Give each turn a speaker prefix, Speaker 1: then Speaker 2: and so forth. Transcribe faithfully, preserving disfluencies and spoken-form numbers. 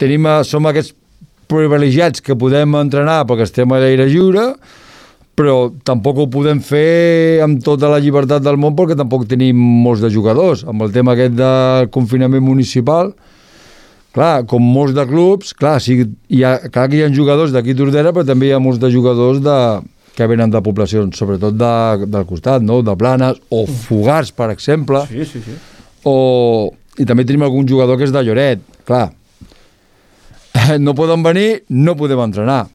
Speaker 1: tenim, som aquests privilegiats que podem entrenar perquè estem a l'aire lliure, però tampoc ho podem fer amb tota la llibertat del món perquè tampoc tenim molts de jugadors. Amb el tema aquest del confinament municipal, clar, com molts de clubs, clar, sí, hi ha, clar que hi ha jugadors d'aquí Tordera, però també hi ha molts de jugadors de, que venen de poblacions, sobretot de, del costat, no? De Blanes, o Fogars, per exemple.
Speaker 2: Sí, sí, sí.
Speaker 1: O, i també tenim algun jugador que és de Lloret, clar. No poden venir, no podem entrenar.